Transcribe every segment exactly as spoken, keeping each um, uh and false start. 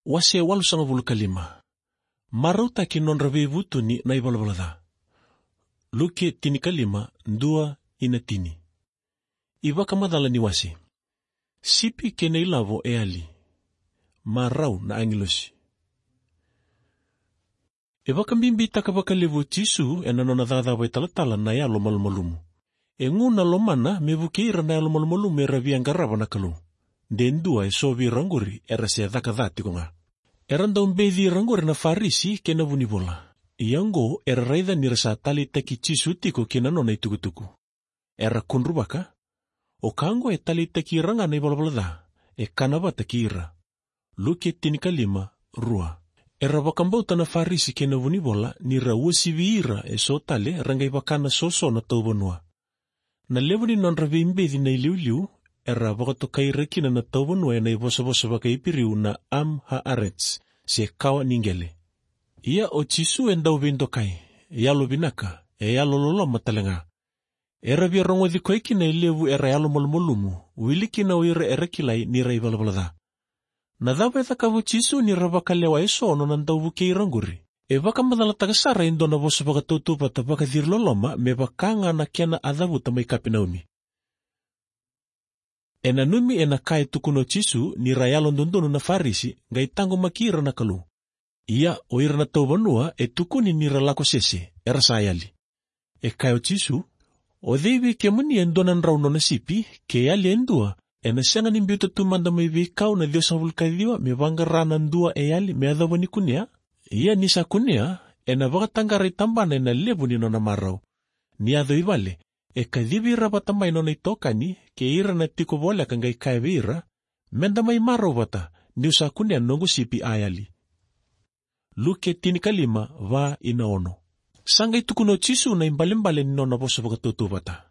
Wase walusagavulu ka lima. Marautaki nodra veivutuni na ivalavala ca. Luke tinikalima, dua ina tini. Ivakamacala ni wase. Sipi kei na ilavo e yali. Marau na agilosi. E vakabibitaka vakalevu o Jisu ena nona cakacaka vakaitalatala na yalomalumalumu. E gu na lomana me vukei ira na yalomalumalumu era via qarava na Kalou. De dua eso vei ira oqori era se caka ca tiko ga. Era dau beci ira oqori na Farisi kei na vunivola. Ia oqo era raica ni ra sa taleitaki Jisu tiko kei na nona itukutuku. Era kudruvaka, o ka oqo e taleitaki ira ga na ivalavala ca, e kana vata kei ira. Luke tinikalima, rua. Era vakabauta na Farisi kei na vunivola ni ra uasivi ira eso tale ra qai vaka na soso na tauvanua. Na levu ni nodra veibeci na iliuliu, era vakatokai ira kina na tauvanua ena ivosavosa vakaIperiu na Am Haarets, se kawa ni qele. Ia o Jisu e dau veidokai, e yalovinaka, e yalololoma tale ga. Era via rogoci koya kina e levu era yalomalumalumu, wili kina o ira era kilai ni ra ivalavala ca. Na cava e cakava o Jisu ni ra vakalewa eso nona dau vukei ira oqori? E vakamacalataka sara e dua na vosa vakatautauvata vakaciriloloma me vaka ga na kena a cavuta mai Kapenaumi. E nanumi ena ka e tukuna o Jisu ni ra yalododonu na Farisi, qai taqomaki ira na Kalou. Ia o ira na tauvanua e tukuni ni ra lako sese, era sa yali. E kaya o Jisu, o cei vei kemuni e dua na drau nona sipi, ke yali e dua, ena sega ni biuta tu mada mai veikau na ciwasagavulu ka ciwa me vaqara na dua e yali me yacova ni kunea? Ia ni sa kunea, ena vakataqara i tabana ena levu ni nona marau. Ni yaco i vale, e kacivi ira vata mai nona itokani kei ira na tiko voleka qai kaya vei ira, meda mai marau vata, niu sa kunea noqu sipi a yali. Luke tinikalima, va ina ono. Sa qai tukuna o Jisu na ibalebale ni nona vosa vakatautauvata.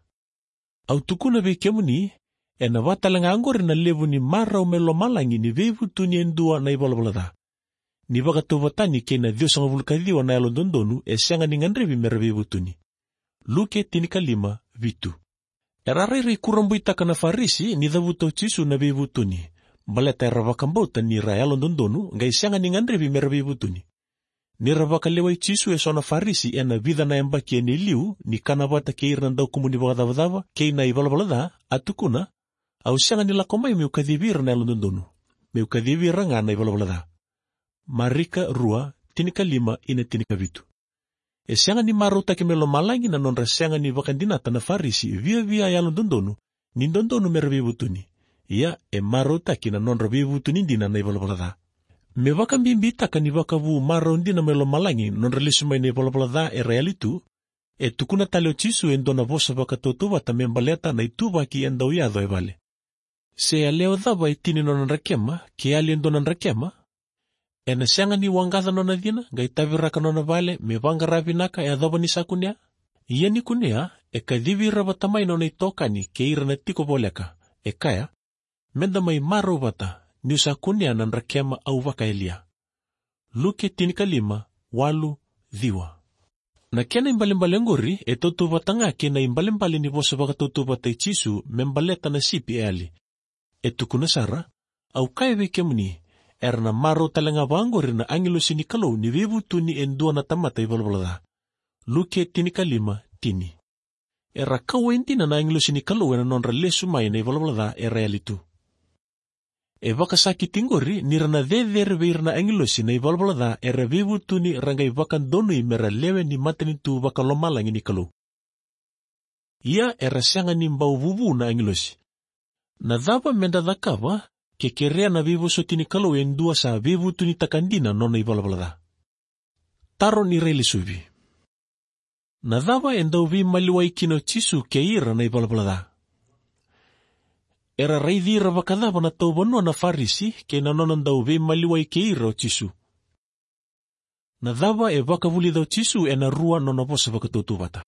Au tukuna vei kemuni, ena va tale ga oqori na levu ni marau mai lomalagi ni veivutuni e dua na ivalavala ca. Ni vakatauvatani kei na ciwasagavulu ka ciwa na yalododonu e sega ni gadrevi mera veivutuni. Luke tinikalima, vitu. Era rairai kurabuitaka na Farisi ni cavuta o Jisu na veivutuni, baleta era vakabauta ni ra yalododonu, qai sega ni gadrevi mera veivutuni. Ni ra vakalewai Jisu eso na Farisi ena vica na yabaki ena iliu, ni kana vata kei ira na daukumuni vakacavacava kei na ivalavala ca, a tukuna, au sega ni lako mai meu kacivi ira na yalododonu, meu kacivi ira ga na ivalavala ca. Marika rua, tinikalima ina tinikavitu. E sega ni marautaki mai lomalagi na nodra sega ni vakadinata na Farisi viavia yalododonu ni dodonu mera veivutuni. Ia e marautaki na nodra veivutuni dina na ivalavala ca. Me vakabibitaka ni vakavu marau dina mai lomalagi na nodra lesu mai na ivalavala ca era yali tu, e tukuna tale o Jisu e dua na vosa vakatautauvata me baleta na ituvaki e dau yaco e vale. Se yalewa cava e tini nona drakema, ke yali e dua na drakema, ena sega ni waqaca nona cina, qai taviraka nona vale, me vaqara vinaka e yacova ni sa kunea? Ia ni kunea, e kacivi ira vata mai nona itokani kei ira na tiko voleka, e kaya, meda mai marau vata, niu sa kunea na drakema au vakayalia. Luke tinikalima, walu, ciwa. Na kena ibalebale oqori e tautauvata ga kei na ibalebale ni vosa vakatautauvata i Jisu me baleta na sipi e yali. E tukuna sara, au kaya vei kemuni, era na marau tale ga vaqori na agilosi ni Kalou ni veivutuni e dua na tamata ivalavala ca. Luke tinikalima, tini. Era kauwai dina na agilosi ni Kalou ena nodra lesu mai na ivalavala ca era yali tu. E vakasakiti qori ni ra na cecere vei ira na agilosi na ivalavala ca era veivutuni ra qai vakadonui mera lewe ni matanitu vakalomalagi ni Kalou. Ia era sega ni bau vuvu na agilosi. Na cava meda cakava ke kerea na veivosoti ni Kalou e dua sa veivutunitaka dina nona ivalavala ca? Taro ni railesuvi. Na cava e dau veimaliwai kina o Jisu kei ira na ivalavala ca? Era raici ira vakacava na tauvanua na Farisi kei na nona dau veimaliwai kei ira o Jisu? Na cava e vakavulica o Jisu ena rua nona vosa vakatautauvata?